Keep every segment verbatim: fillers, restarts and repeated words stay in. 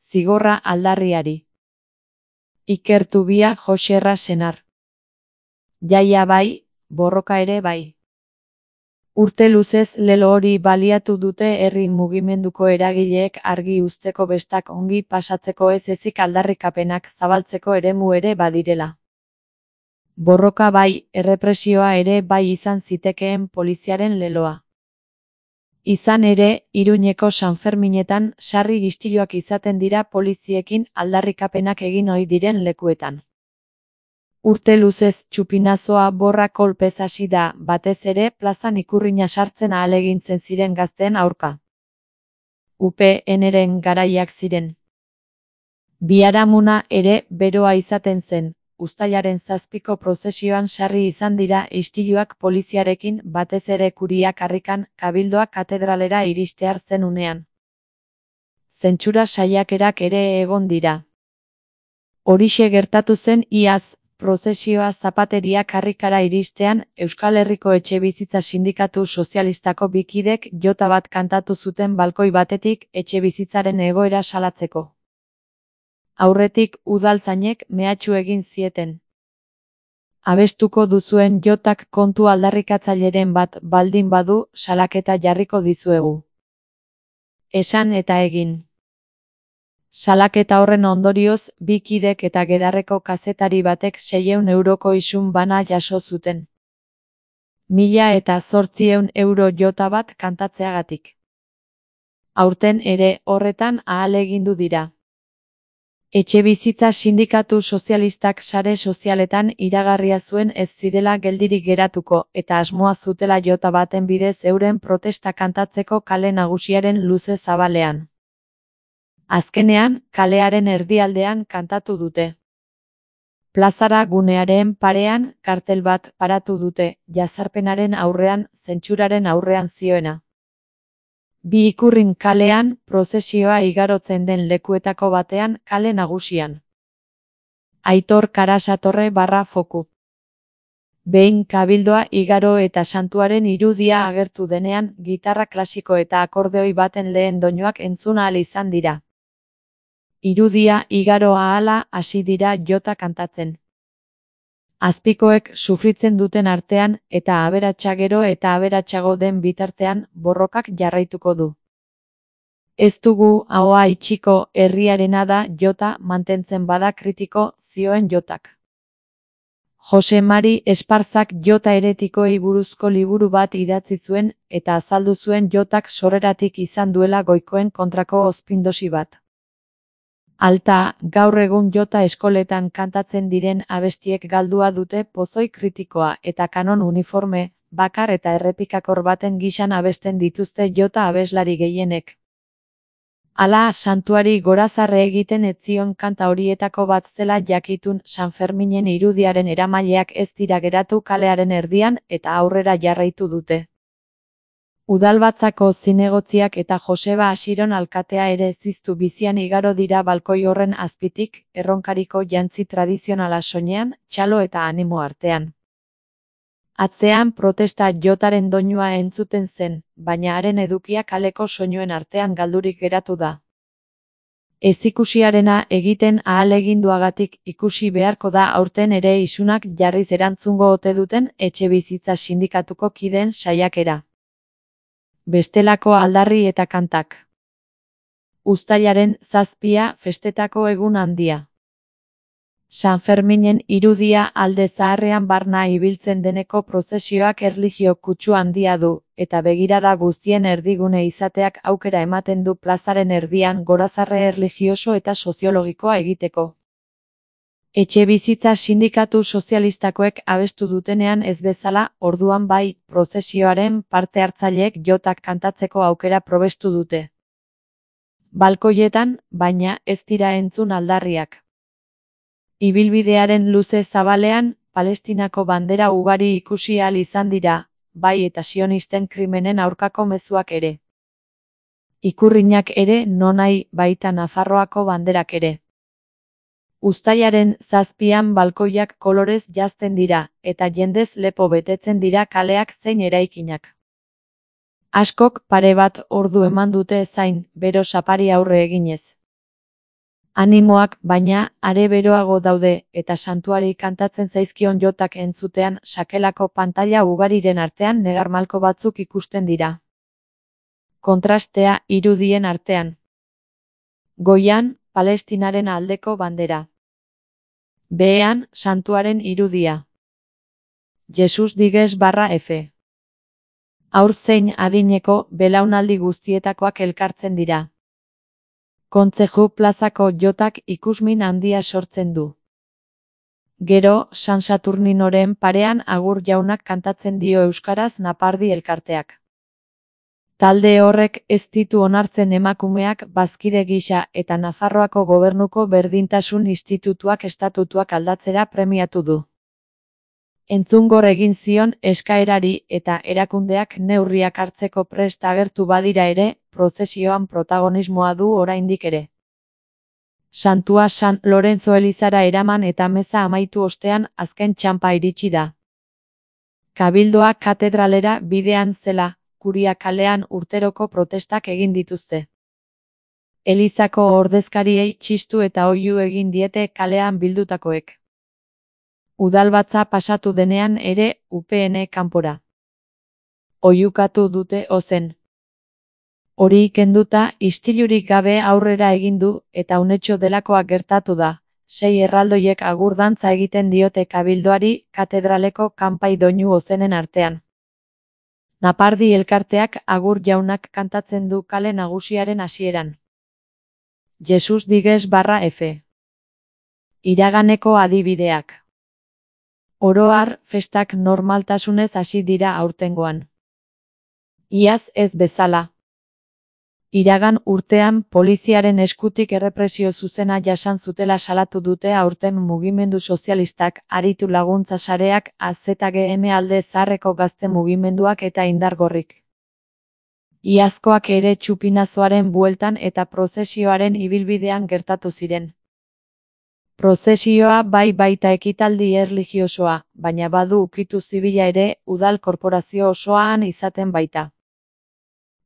zigorra aldarriari. Ikertubia Joserra senar. Jaia bai, borroka ere bai. Urte luzez lelo hori baliatu dute herri mugimenduko eragileek argi uzteko bestak ongi pasatzeko ez ezik aldarrikapenak zabaltzeko eremu ere badirela. Borroka bai, errepresioa ere bai izan zitekeen poliziaren leloa. Izan ere, Iruñeko Sanferminetan sarri istiluak izaten dira poliziekin aldarrikapenak egin ohi diren lekuetan. Urte luzez txupinazoa borra kolpez hasi da, batez ere plazan ikurrina sartzen ahalegintzen ziren gazteen aurka. U P Nren garaiak ziren. Biharamuna ere beroa izaten zen, uztailaren zazpiko prozesioan sarri izan dira istiluak poliziarekin batez ere Kuria karrikan Kabildoa katedralera iristear zen unean. Zentsura saiakerak ere egon dira. Horixe gertatu zen iaz, prozesioa Zapateria karrikara iristean, Euskal Herriko Etxebizitza Sindikatu Sozialistako bikidek jota bat kantatu zuten balkoi batetik etxebizitzaren egoera salatzeko. Aurretik udaltzainek mehatxu egin zieten. Abestuko duzuen jotak kontu aldarrikatzaileren bat baldin badu salaketa jarriko dizuegu. Esan eta egin. Salaketa horren ondorioz, bi kidek eta Gedarreko kazetari batek seiehun euroko isun bana jaso zuten. Mila eta zortziehun euro jota bat kantatzeagatik. Aurten ere horretan ahalegindu dira. Etxebizitza Sindikatu Sozialistak sare sozialetan iragarria zuen ez zirela geldirik geratuko eta asmoa zutela jota baten bidez euren protesta kantatzeko kale nagusiaren luze zabalean. Azkenean, kalearen erdialdean kantatu dute. Plazara gunearen parean kartel bat paratu dute, jazarpenaren aurrean, zentsuraren aurrean zioena. Bi ikurrin kalean, prozesioa igarotzen den lekuetako batean, kale nagusian. Aitor Karasatorre barra foku. Behin Kabildoa igaro eta santuaren irudia agertu denean, gitarra klasiko eta akordeoi baten lehen doinuak entzun ahal izan dira. Irudia igaro ahala hasi dira jota kantatzen. Azpikoek sufritzen duten artean eta aberatsa gero eta aberatsago den bitartean borrokak jarraituko du. Ez dugu ahoa itxiko herriarena da jota mantentzen bada kritiko, zioen jotak. Jose Mari Esparzak jota heretikoei buruzko liburu bat idatzi zuen eta azaldu zuen jotak sorreratik izan duela goikoen kontrako ozpindosi bat. Alta, gaur egun jota eskoletan kantatzen diren abestiek galdua dute pozoi kritikoa eta kanon uniforme, bakar eta errepikakor baten gisan abesten dituzte jota abeslari gehienek. Hala, santuari gorazarre egiten ez zion kanta horietako bat zela jakitun Sanferminen irudiaren eramaileak ez dira geratu kalearen erdian eta aurrera jarraitu dute. Udalbatzako zinegotziak eta Joseba Asiron alkatea ere ziztu bizian igaro dira balkoi horren azpitik, erronkariko jantzi tradizionala soinean, txalo eta animo artean. Atzean protesta jotaren doinua entzuten zen, baina haren edukia kaleko soinuen artean galdurik geratu da. Ezikusiarena egiten ahaleginduagatik ikusi beharko da aurten ere isunak jarriz erantzungo ote duten Etxebizitza Sindikatuko kideen saiakera. Bestelako aldarri eta kantak. Uztailaren zazpia festetako egun handia. Sanferminen irudia alde zaharrean barna ibiltzen deneko prozesioak erlijio kutsu handia du, eta begirada guztien erdigune izateak aukera ematen du plazaren erdian gorazarre erlijioso eta soziologikoa egiteko. Etxebizitza Sindikatu Sozialistakoek abestu dutenean ez bezala, orduan bai, prozesioaren parte hartzaileek jotak kantatzeko aukera probestu dute. Balkoietan, baina, ez dira entzun aldarriak. Ibilbidearen luze zabalean, Palestinako bandera ugari ikusi ahal izan dira, bai eta sionisten krimenen aurkako mezuak ere. Ikurrinak ere, nonahi, baita Nafarroako banderak ere. Uztailaren zazpian balkoiak kolorez jazten dira, eta jendez lepo betetzen dira kaleak zein eraikinak. Askok pare bat ordu eman dute zain, bero sapari aurre eginez. Animoak, baina, are beroago daude, eta santuari kantatzen zaizkion jotak entzutean sakelako pantaila ugariren artean negarmalko batzuk ikusten dira. Kontrastea irudien artean. Goian, Palestinaren aldeko bandera. Behean, santuaren irudia. Jesus digues barra F. Haur zein adineko belaunaldi guztietakoak elkartzen dira. Kontzeju plazako jotak ikusmin handia sortzen du. Gero, San Saturninoren parean Agur jaunak kantatzen dio euskaraz Napardi elkarteak. Talde horrek ez ditu onartzen emakumeak bazkide gisa eta Nafarroako Gobernuko Berdintasun Institutuak estatutuak aldatzera premiatu du. Entzungor egin zion eskaerari eta erakundeak neurriak hartzeko prest agertu badira ere, prozesioan protagonismoa du oraindik ere. Santua San Lorenzo elizara eraman eta meza amaitu ostean azken txanpa iritsi da. Kabildoa katedralera bidean zela, Kuria kalean urteroko protestak egin dituzte. Elizako ordezkariei txistu eta oihu egin diete kalean bildutakoek. Udalbatza pasatu denean ere U P N kanpora. Oihukatu dute ozen. Hori kenduta istilurik gabe aurrera egin du eta unetxo delakoa gertatu da. Sei erraldoiek agur dantza egiten diote kabildoari katedraleko kanpai doinu ozenen artean. Napardi elkarteak Agur jaunak kantatzen du kale nagusiaren hasieran. Jesus digues barra F. Iraganeko adibideak. Oro har, festak normaltasunez hasi dira aurtengoan. Iaz ez bezala. Iragan urtean poliziaren eskutik errepresio zuzena jasan zutela salatu dute aurten mugimendu sozialistak, aritu laguntza sareak, A Z G M alde zaharreko gazte mugimenduak eta indargorrik. Iazkoak ere txupinazoaren bueltan eta prozesioaren ibilbidean gertatu ziren. Prozesioa bai baita ekitaldi erlijiosoa, baina badu ukitu zibila ere, udal korporazio osoan izaten baita.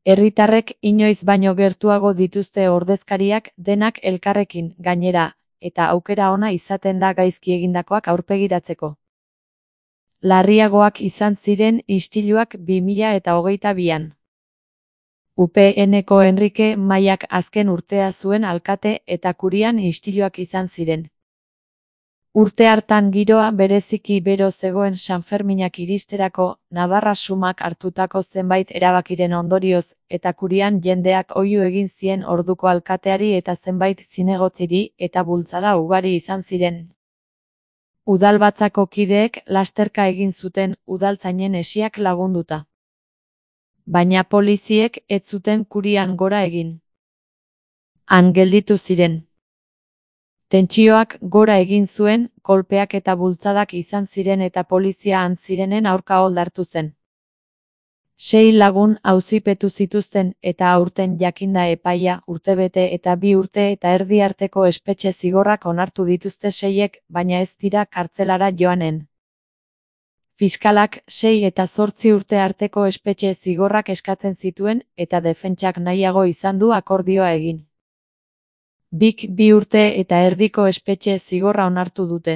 Herritarrek inoiz baino gertuago dituzte ordezkariak denak elkarrekin, gainera, eta aukera ona izaten da gaizki egindakoak aurpegiratzeko. Larriagoak izan ziren istiluak bi mila eta hogeita bian. U P N-ko Enrique Maiak azken urtea zuen alkate eta Kurian istiluak izan ziren. Urte hartan giroa bereziki bero zegoen Sanferminak iristerako, Navarra sumak hartutako zenbait erabakiren ondorioz, eta Kurian jendeak oihu egin zien orduko alkateari eta zenbait zinegotziri eta bultzada ugari izan ziren. Udalbatzako kideek lasterka egin zuten udaltzainen esiak lagunduta. Baina poliziek ez zuten Kurian gora egin. Han gelditu ziren. Tentsioak gora egin zuen, kolpeak eta bultzadak izan ziren eta polizia han zirenen aurka oldartu zen. Sei lagun auzipetu zituzten eta aurten jakinda epaia urtebete eta bi urte eta erdi arteko espetxe zigorrak onartu dituzte seiek, baina ez dira kartzelara joanen. Fiskalak sei eta zortzi urte arteko espetxe zigorrak eskatzen zituen eta defentsak nahiago izan du akordioa egin. Bik bi urte eta erdiko espetxe zigorra onartu dute.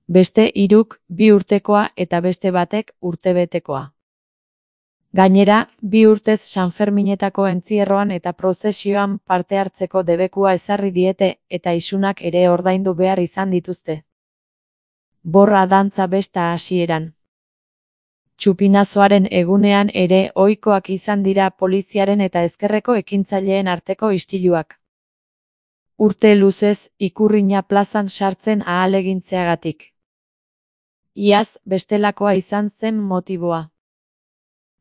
Beste hiruk bi urtekoa eta beste batek urtebetekoa. Gainera, bi urtez Sanferminetako entzierroan eta prozesioan parte hartzeko debekua ezarri diete eta isunak ere ordaindu behar izan dituzte. Borra dantza besta hasieran. Txupinazoaren egunean ere ohikoak izan dira poliziaren eta ezkerreko ekintzaileen arteko istiluak. Urte luzez Ikurrina plazan sartzen ahalegintzeagatik. Iaz bestelakoa izan zen motiboa.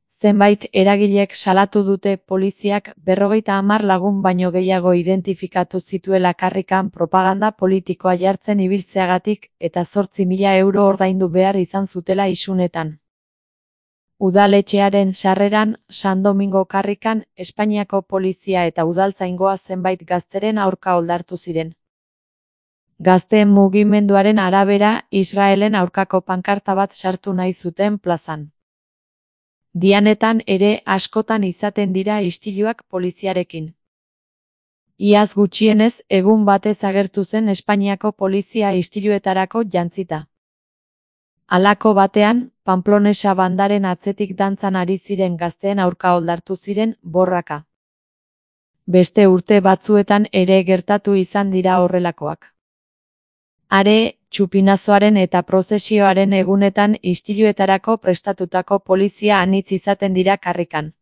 Zenbait eragilek salatu dute poliziak berrogeita hamar lagun baino gehiago identifikatu zituela karrikan propaganda politikoa jartzen ibiltzeagatik eta zortzi mila euro ordaindu behar izan zutela isunetan. Udaletxearen sarreran, San Domingo karrikan, Espainiako polizia eta udaltzaingoa zenbait gazteren aurka oldartu ziren. Gazteen mugimenduaren arabera, Israelen aurkako pankarta bat sartu nahi zuten plazan. Dianetan ere askotan izaten dira istiluak poliziarekin. Iaz gutxienez egun batez agertu zen Espainiako polizia istiluetarako jantzita. Halako batean, Pamplonesa bandaren atzetik dantzan ari ziren gazteen aurka oldartu ziren borraka. Beste urte batzuetan ere gertatu izan dira horrelakoak. Are, txupinazoaren eta prozesioaren egunetan istiluetarako prestatutako polizia anitz izaten dira karrikan.